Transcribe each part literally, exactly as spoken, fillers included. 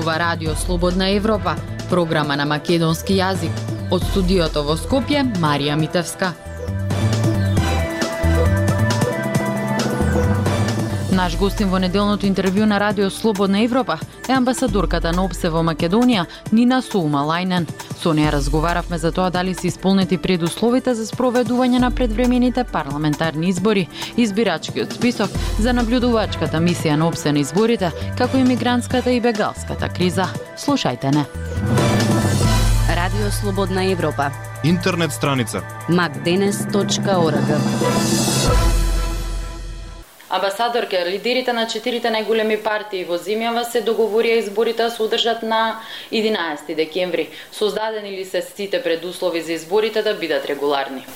зборува Радио Слободна Европа, програма на македонски јазик. Од студиото во Скопје, Марија Митевска. Наш гостин во неделното интервју на Радио Слободна Европа е амбасадорката на ОПСЕ во Македонија, Нина Сулмалајнен. Со неја разговаравме за тоа дали се исполнети предусловите за спроведување на предвремените парламентарни избори, избирачкиот список за наблюдувачката мисија на ОПСЕ на изборите, како и мигрантската и бегалската криза. Слушајте не. Радио Слободна Европа. Интернет страница макденес точка орг. Амбасадорке, лидерите на четирите најголеми партии во земјава се договорија изборите да се одржат на единаесети декември. Создадени ли се сите предуслови за изборите да бидат регуларни?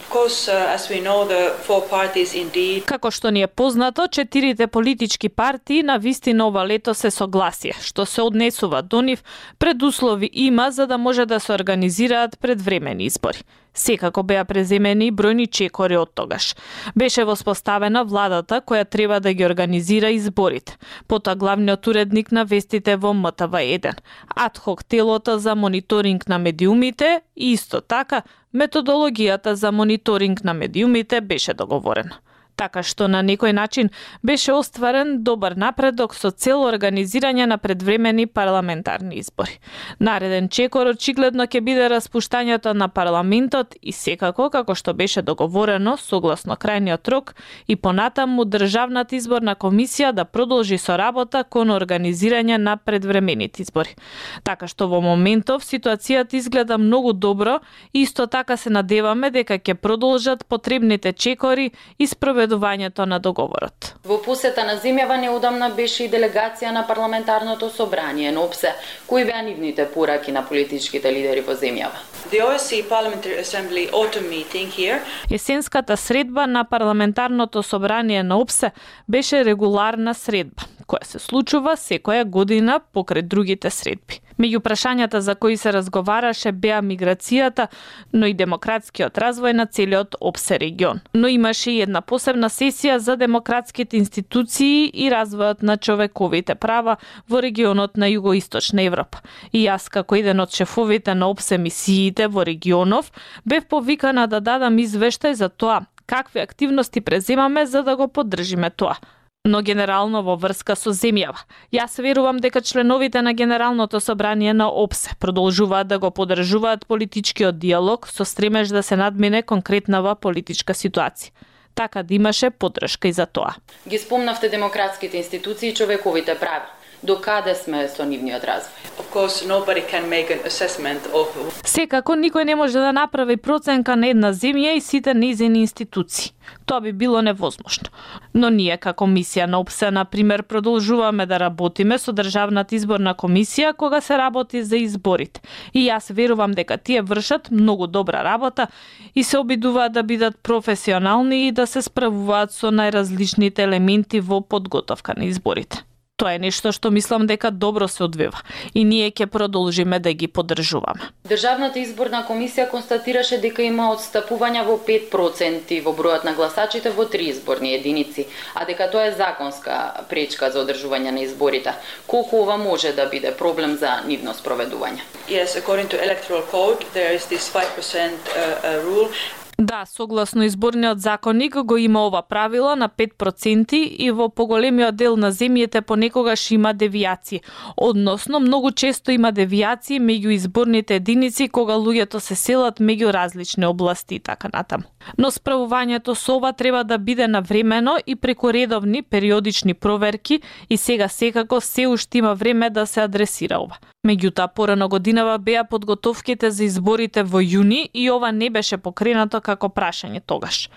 Како што ни е познато, четирите политички партии на вистина ова лето се согласија, што се однесува до нив, предуслови има за да може да се организираат предвремени избори. Секако беа преземени бројни чекори од тогаш. Беше воспоставена владата која треба да ги организира изборите. Потоа главниот уредник на вестите во М Т В еден, адхок телото за мониторинг на медиумите и исто така методологијата за мониторинг на медиумите беше договорена. Така што на некој начин беше остварен добар напредок со цел организирање на предвремени парламентарни избори. Нареден чекор очигледно ќе биде распуштањето на парламентот и секако, како што беше договорено, согласно крајниот рок, и понатаму Државната изборна комисија да продолжи со работа кон организирање на предвремените избори. Така што во моментов ситуацијата изгледа многу добро и исто така се надеваме дека ќе продолжат потребните чекори и спроведувањето на договорот. Во посета на земјава неодамна беше и делегација на парламентарното собрание на ОПСЕ. Кои беа нивните пораки на политичките лидери во земјава? Есенската средба на парламентарното собрание на ОПСЕ беше регуларна средба, која се случува секоја година покрај другите средби. Меѓу прашањата за кои се разговараше беа миграцијата, но и демократскиот развој на целиот ОПСЕ регион. Но имаше и една посебна сесија за демократските институции и развојот на човековите права во регионот на Југоисточна Европа. И јас, како еден од шефовите на ОПСЕ мисиите во регионов, бев повикана да дадам извештај за тоа какви активности преземаме за да го поддржиме тоа. Но генерално во врска со земјава. Јас верувам дека членовите на Генералното собрание на ОПСЕ продолжуваат да го поддржуваат политичкиот диалог со стремеж да се надмине конкретнава политичка ситуација. Така да имаше поддршка и за тоа. Ги спомнавте демократските институции и човековите права. До каде сме со нивниот развој? Of course, nobody can make an assessment of... Секако никој не може да направи проценка на една земја и сите нејзини институции. Тоа би било невозможно. Но ние како мисија на ОПСЕ, на пример, продолжуваме да работиме со Државната изборна комисија кога се работи за изборите. И јас верувам дека тие вршат многу добра работа и се обидуваат да бидат професионални и да се справуваат со најразличните елементи во подготовка на изборите. Тоа е нешто што мислам дека добро се одвива и ние ќе продолжиме да ги поддржуваме. Државната изборна комисија констатираше дека има отстапување во пет проценти во бројот на гласачите во три изборни единици, а дека тоа е законска пречка за одржување на изборите. Колку ова може да биде проблем за нивно спроведување? Yes, according to electoral code, there is this five percent uh, uh, rule. Да, согласно изборниот законник го има ова правило на пет проценти и во поголемиот дел на земјите понекогаш има девијации. Односно, многу често има девијации меѓу изборните единици кога луѓето се селат меѓу различни области и така натаму. Но справувањето со ова треба да биде навремено и преку редовни периодични проверки и сега секако се уште има време да се адресира ова. Меѓутоа, порано годинава беа подготовките за изборите во јуни и ова не беше покренато како прашање тогаш.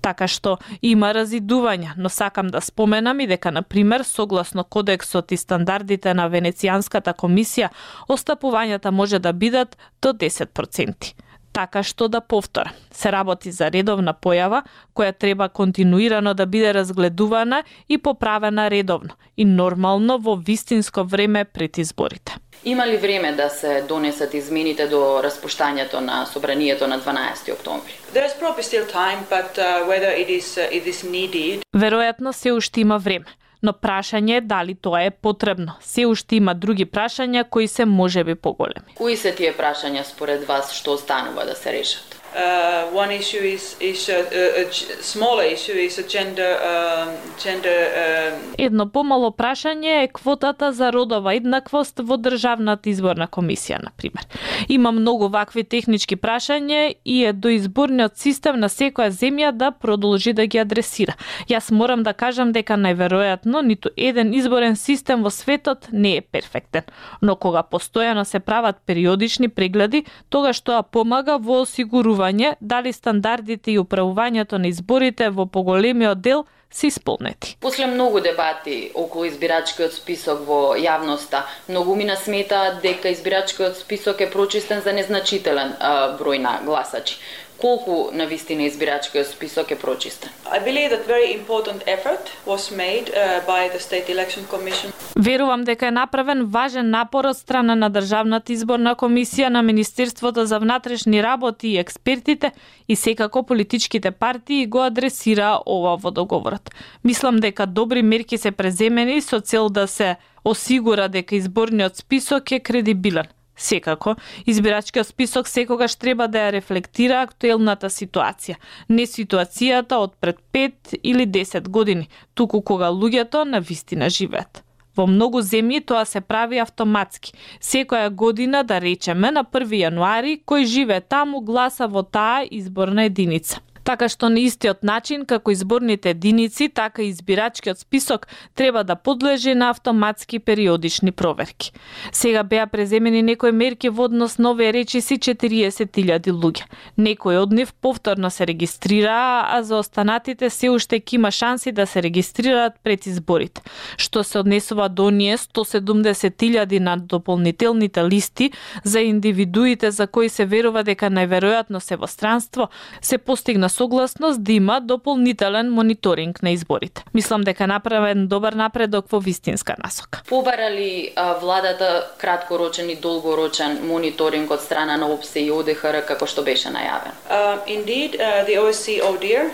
Така што има разидувања, но сакам да споменам и дека, на пример, согласно кодексот и стандардите на Венецијанската комисија, остапувањата може да бидат до десет проценти. Така што да повторам, се работи за редовна појава која треба континуирано да биде разгледувана и поправена редовно и нормално во вистинско време пред изборите. Има ли време да се донесат измените до распуштањето на собранието на дванаесети октомври? There is probably still time, but uh, whether it is uh, it is needed. Веројатно се уште има време, но прашање е дали тоа е потребно. Се уште има други прашања кои се можеби поголеми. Кои се тие прашања според вас што останува да се решат? Uh, one issue is is a, a, a smaller issue is a gender uh, gender uh... Едно помало прашање е квотата за родова еднаквост во државната изборна комисија, на пример. Има многу вакви технички прашања и е до изборниот систем на секоја земја да продолжи да ги адресира. Јас морам да кажам дека најверојатно ниту еден изборен систем во светот не е перфектен, но кога постојано се прават периодични прегледи, тогаш тоа помага во осигурување дали стандардите и управувањето на изборите во поголемиот дел се исполнети. После многу дебати околу избирачкиот список во јавноста, многу ми насмета дека избирачкиот список е прочистен за незначителен а, број на гласачи. Колку на вистина избирачкиот список е прочистен? I believe that very important effort was made uh, by the State Election Commission. Верувам дека е направен важен напор од страна на Државната изборна комисија, на Министерството за внатрешни работи и експертите, и секако политичките партии го адресира ова во договорот. Мислам дека добри мерки се преземени со цел да се осигура дека изборниот список е кредибилен. Секако, избирачкиот список секогаш треба да ја рефлектира актуелната ситуација, не ситуацијата од пред пет или десет години, туку кога луѓето на вистина живеат. Во многу земји тоа се прави автоматски. Секоја година, да речеме, на први јануари, кој живее таму гласа во таа изборна единица. Така што на истиот начин како изборните единици, така и избирачкиот список треба да подлежи на автоматски периодични проверки. Сега беа преземени некои мерки во однос на овие речиси четириесет илјади луѓе. Некои од нив повторно се регистрираа, а за останатите се уште ќе има шанси да се регистрираат пред изборите. Што се однесува до оние сто седумдесет илјади на дополнителните листи за индивидуите за кои се верува дека најверојатно се во странство, се постигна согласност да има дополнителен мониторинг на изборите. Мислам дека направен добар напредок во вистинска насока. Побара ли а, владата краткорочен и долгорочен мониторинг од страна на ОПСЕ и О Д Х Р како што беше најавен? Uh, indeed, uh, the O S C O D I R,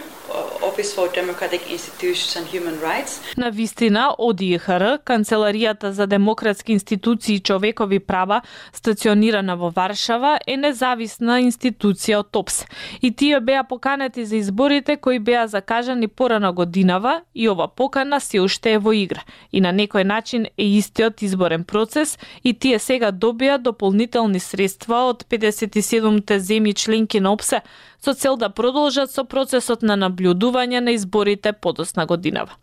Office for Democratic Institutions and Human Rights. На вистина, О Д Х Р, Канцеларијата за демократски институции и човекови права, стационирана во Варшава, е независна институција од ОПСЕ. И тие беа поканети за изборите кои беа закажани порано годинава, и ова покана се уште е во игра. И на некој начин е истиот изборен процес, и тие сега добија дополнителни средства од педесет и седумте земји членки на ОПСЕ со цел да продолжат со процесот на наблюдување на изборите подосна годинава.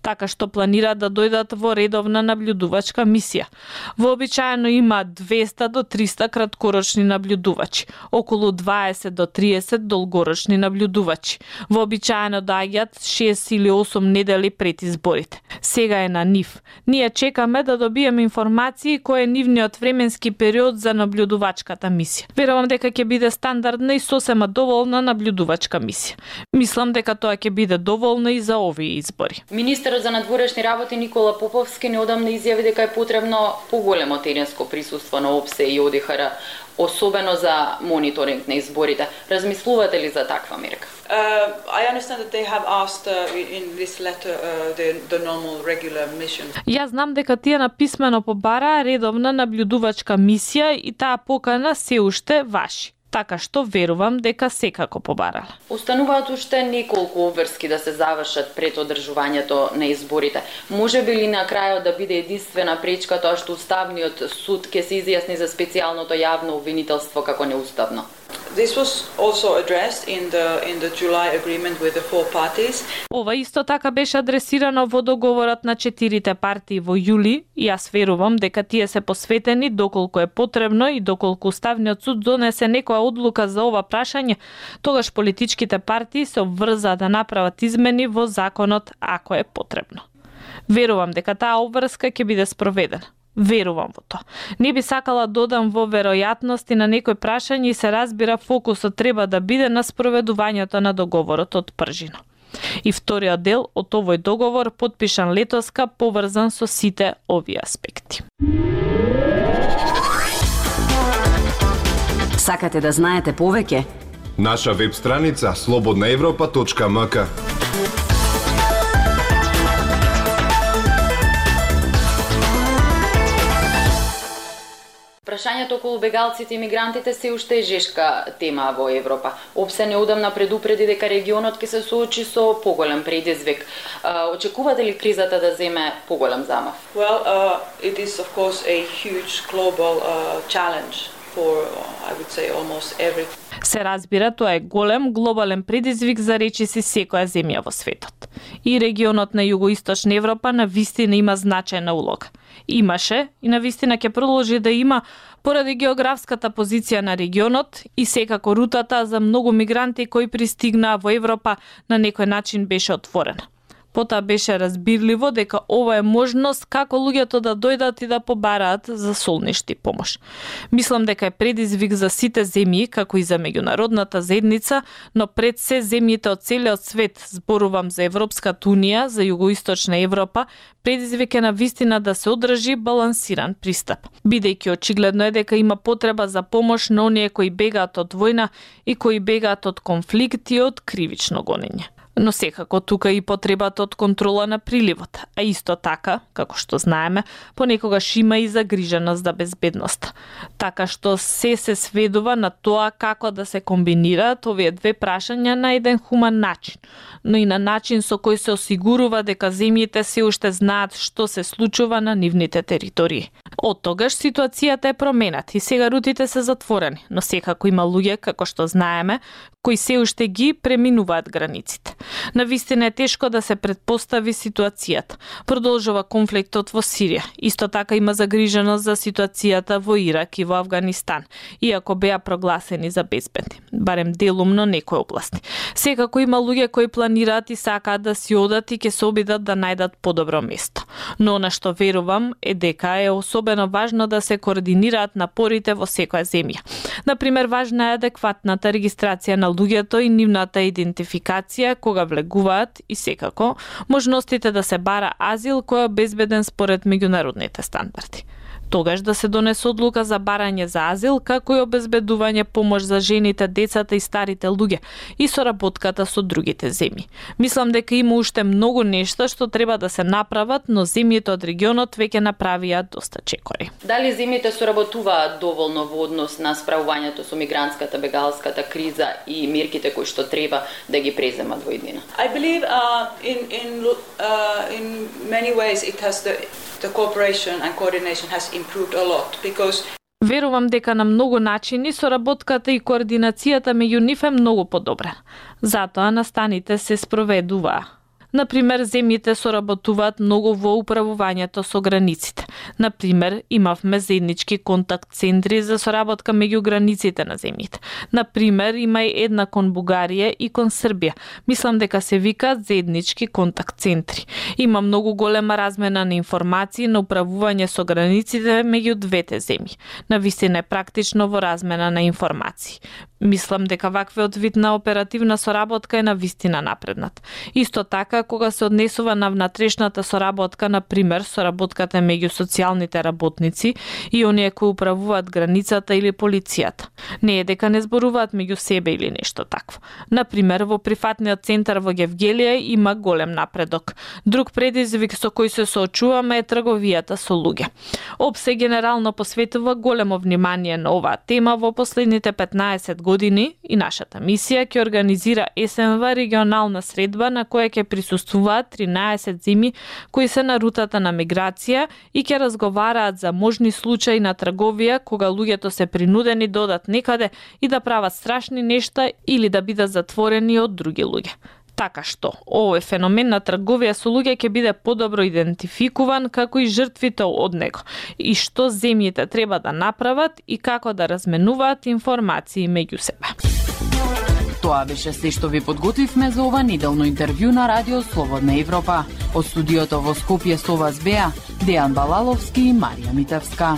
Така што планираат да дојдат во редовна наблюдувачка мисија. Вообичаено има двеста до триста краткорочни наблюдувачи, околу дваесет до триесет долгорочни наблюдувачи. Вообичаено доаѓаат шест или осум недели пред изборите. Сега е на нив. Ние чекаме да добиеме информации кој е нивниот временски период за наблюдувачката мисија. Верувам дека ќе биде стандардна и сосема доволна наблюдувачка мисија. Мислам дека тоа ќе биде доволно и за овие избори. Министерот за надворешни работи Никола Поповски неодамна изјави дека е потребно поголемо теренско присуство на ОПСЕ и О Д Х Р, особено за мониторинг на изборите. Размислувате ли за таква мерка? Uh, I understand that they have asked uh, in this letter uh, the, the normal regular mission. Јас знам дека тие написмено побараа редовна наблюдувачка мисија и таа покана се уште важи. Така што верувам дека секако побарала. Остануваат уште неколку обврски да се завршат пред одржувањето на изборите. Може би ли на крајот да биде единствена пречка тоа што Уставниот суд ќе се изјасни за специјалното јавно обвинителство како неуставно? This was also addressed in the in the July agreement with the four parties. Ова исто така беше адресирано во договорот на четирите партии во јули, и јас верувам дека тие се посветени доколку е потребно и доколку Уставниот суд донесе некоја одлука за ова прашање, тогаш политичките партии се обврзаа да направат измени во законот ако е потребно. Верувам дека таа обврска ќе биде спроведена. Верувам во тоа. Не би сакала додам во веројатности на некој прашање и се разбира фокусот треба да биде на спроведувањето на договорот од пржина. И вториот дел од овој договор потпишан летоска поврзан со сите овие аспекти. Сакате да знаете повеќе? Наша веб страница слободна европа точка м к. Прашањето околу бегалците и мигрантите се уште е жешка тема во Европа. ОПСЕ неодамна предупреди дека регионот ќе се соочи со поголем предизвик. Очекувате ли кризата да земе поголем замав? Well, uh, it is of course a huge global uh, challenge for, I would say, almost every. Се разбира, тоа е голем глобален предизвик за речиси секоја земја во светот. И регионот на југоисточна Европа на вистина има значајна улога. Имаше и на вистина ќе продолжи да има поради географската позиција на регионот и секако рутата за многу мигранти кои пристигнаа во Европа на некој начин беше отворена. Потоа беше разбирливо дека ова е можност како луѓето да дојдат и да побараат за солништи помош. Мислам дека е предизвик за сите земји, како и за меѓународната заедница, но пред се земјите од целиот свет, зборувам за Европската унија, за југоисточна Европа, предизвик е на вистина да се одржи балансиран пристап. Бидејќи очигледно е дека има потреба за помош на оние кои бегаат од војна и кои бегаат од конфликт и од кривично гонење. Но секако тука и потребата од контрола на приливот, а исто така, како што знаеме, понекогаш има и загриженост за безбедноста. Така што се се сведува на тоа како да се комбинираат овие две прашања на еден хуман начин, но и на начин со кој се осигурува дека земјите се уште знаат што се случува на нивните територии. Од тогаш ситуацијата е променат и сега рутите се затворени, но секако има луѓе, како што знаеме, кои се уште ги преминуваат границите. Навистина е тешко да се предпостави ситуацијата. Продолжува конфликтот во Сирија. Исто така има загриженост за ситуацијата во Ирак и во Авганистан, иако беа прогласени за безбедни, барем делумно некои области. Секако има луѓе кои планираат и сакаат да си одат и ќе се обидат да најдат подобро место. Но на што верувам е дека е особено важно да се координираат напорите во секоја земја. Например, важна е адекватната регистрација на луѓето и нивната идентификација кога влегуваат и секако можностите да се бара азил кој е безбеден според меѓународните стандарди. Тогаш да се донесе одлука за барање за азил, како и обезбедување помош за жените, децата и старите луѓе и соработката со другите земји. Мислам дека има уште многу нешта што треба да се направат, но земјите од регионот веќе направија доста чекори. Дали земјите соработуваат доволно во однос на справувањето со мигрантската бегалската криза и мерките кои што треба да ги преземат во иднина? I believe uh, in in uh, in many ways it has the the cooperation and coordination has improved a lot because Верувам дека на многу начини соработката и координацијата меѓу нив е многу подобра. Затоа настаните се спроведуваа. Например, земјите соработуваат многу во управувањето со границите. Например, имавме заеднички контакт центри за соработка меѓу границите на земјите. Например, има и една кон Бугарија и кон Србија. Мислам дека се викаат заеднички контакт центри. Има многу голема размена на информации на управување со границите меѓу двете земји. Навистина е практично во размена на информации. Мислам дека ваквиот вид на оперативна соработка е навистина напреднат. Исто така, кога се однесува на внатрешната соработка, например, соработката меѓу социјалните работници и оние кои управуваат границата или полицијата. Не е дека не зборуваат меѓу себе или нешто такво. Например, во прифатниот центар во Гевгелија има голем напредок. Друг предизвик со кој се соочуваме е трговијата со луѓе. ОПСЕ генерално посветува големо внимание на оваа тема во последните петнаесет години и нашата мисија ќе организира есенва регионална средба на која ќе присуствуваат тринаесет земји кои се на рутата на миграција и ќе разговараат за можни случаи на трговија кога луѓето се принудени да одат некаде и да прават страшни нешта или да бидат затворени од други луѓе. Така што, овој феномен на трговија со луѓе ќе биде подобро идентификуван како и жртвите од него и што земјите треба да направат и како да разменуваат информации меѓу себе. Тоа беше се што ви подготвивме за ова неделно интервју на Радио Слободна Европа. Од студиото во Скопје со вас беа Дејан Балаловски и Марија Митевска.